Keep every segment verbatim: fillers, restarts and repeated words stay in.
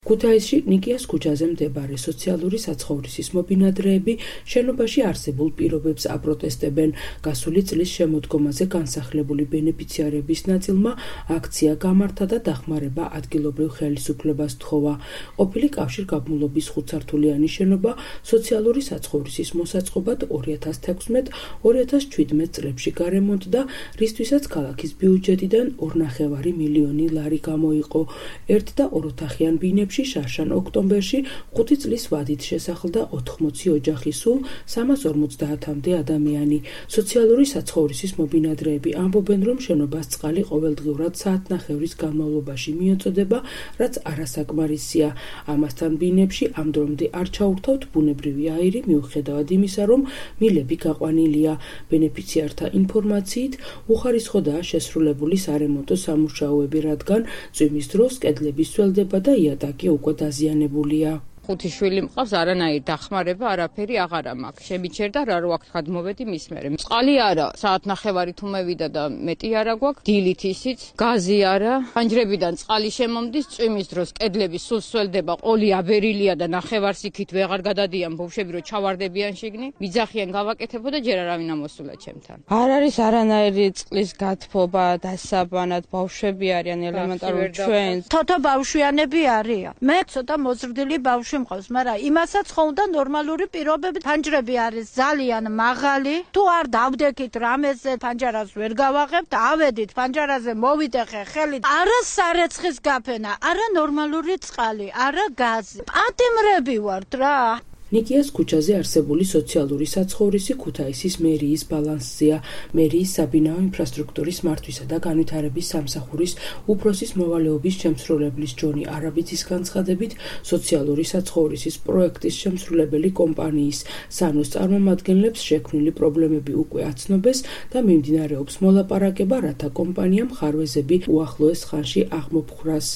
ქუთაისში ნიკიას ქუჩაზე მდებარე სოციალური საცხოვრისის მობინადრეები შენობაში არსებულ პირობებს აპროტესტებენ. გასული წლის შემოდგომაზე განსახლებული ბენეფიციარების ნაწილმა აქცია გამართა და დახმარება ადგილობრივ ხელისუფლებას თხოვა. ყოფილი კავშირგაბმულობის ხუთსართულიანი შენობა სოციალური საცხოვრისის მოსაწყობად ორი ათას თექვსმეტ ორი ათას ჩვიდმეტ წლებში გარემონტდა, რისთვისაც ქალაქის ბიუჯეტიდან ორნახევარი მილიონი ლარი გამოიყო. ერთ და ოროთახიან ბინებში შარშან ოქტომბერში ხუთი წლის ვადით შესახლდა ოთხმოცი ოჯახი, სულ სამას ორმოცდაათამდე ადამიანი. სოციალური საცხოვრისის მობინადრეები ამბობენ, რომ შენობას წყალი ყოველდღიურად საათნახევრის განმავლობაში მიეწოდება, რაც არასაკმარისია. ამასთან ბინებში ამ დრომდე არ ჩაურთავთ ბუნებრივი აირი, მიუხედავად იმისა, რომ მილები გაყვანილია. ბენეფიციართა ინფორმაციით, უხარისხოდაა შესრულებული სარემონტო სამუშაოები, რადგან წვიმის დროს კედლების სველდება და იატაკი უკვე დაზიანებულია. ხუთი შვილი მყავს, არანაირი დახმარება, არაფერი აღარა მაქვს. შემიჩერდა რა რო აქ გადმოვედი მის მერე. წყალი არა, საათნახევარი თუ მევიდა და მეტი არა გვაქვს, დილით ისიც, გაზი არა. ფანჯრებიდან წყალი შემომდის, წვიმის დროს კედლები სულ სველდება, ყოლი აბერილია და ნახევარს იქით ვეღარ გადადიან ბავშვები, რომ ჩავარდებიან შიგნით. მიძახიან გავაკეთებო და ჯერ არავინ ამოსულა ჩემთან. არ არის არანაირი წყლის გათბობა, დასაბანად, ბავშვები არიან ელემენტარული ჩვენ. თოთო ბავშვიანები არიან. მე ცოტა მოზრდილი ბავშვი მყავს, მაგრამ იმასაც ხო უნდა ნორმალური პირობები. ფანჯრები არის ძალიან მაღალი. თუ არ დავდექით რამეზე, ფანჯარას ვერ გავაღებთ, ავედით ფანჯარაზე მოვიდეხე ხელით. არა სარეცხის გაფენა, არა ნორმალური წყალი, არა გაზი. პატიმრები ვართ რა. ნიკიას ქუჩაზე არსებული სოციალური საცხოვრისი ქუთაისის მერიის ბალანსზეა. მერიის საბინაო ინფრასტრუქტურის მართვისა და განვითარების სამსახურის უფროსის მოვალეობის შემსრულებლის ჯონი არაბიძის განცხადებით, სოციალური საცხოვრისის პროექტის შემსრულებელი კომპანიის სანოს წარმომადგენლებს შექმნილი პრობლემები უკვე აცნობეს და მიმდინარეობს მოლაპარაკება, რათა კომპანიამ ხარვეზები უახლოეს ხანში აღმოფხვრას.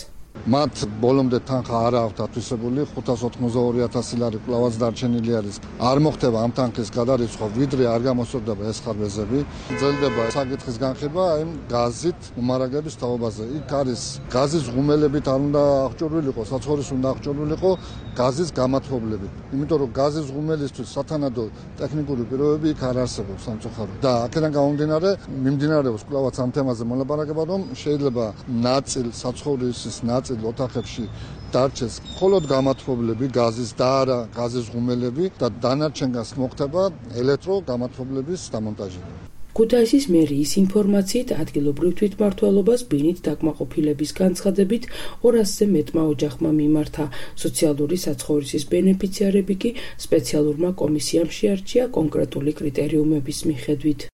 მათ ბოლომდე თანხა არ აქვთ ათვისებული, ხუთას ოთხმოცდაორი ათასი ლარი კვლავაც დარჩენილი არის. არ მოხდება ამ თანხის გადარიცხვა, ვიდრე არ გამოსწორდება ეს ხარვეზები. ძელდება საკითხის განხილვა იმ გაზით მომარაგების თაობაზე. იქ არის გაზის ღუმელებით არ უნდა აღჭურვილიყო, საცხოვრის უნდა აღჭურვილიყო გაზის გამათბობლებით. იმიტომ რომ გაზის ღუმელისთვის სათანადო ტექნიკური პირობები იქ არ არსებობს სამწუხაროდ. და აქედან გამომდინარე, მიმდინარეობს კვლავაც ამ თემაზე მოლაპარაკება, რომ შეიძლება ნაწილ საცხოვრისის ნაწილ ოთახებში დარჩეს მხოლოდ გამათბობლები გაზის და არა გაზის ღუმელები და დანარჩენგანს მოხდება ელექტრო გამათბობლების დამონტაჟება. ქუთაისის მერიის ინფორმაციით, ადგილობრივ თვითმმართველობას ბინით დაკმაყოფილების განცხადებით ორასზე მეტმა ოჯახმა მიმართა. სოციალური საცხოვრისის ბენეფიციარები კი სპეციალურმა კომისიამ შეარჩია კონკრეტული კრიტერიუმების მიხედვით.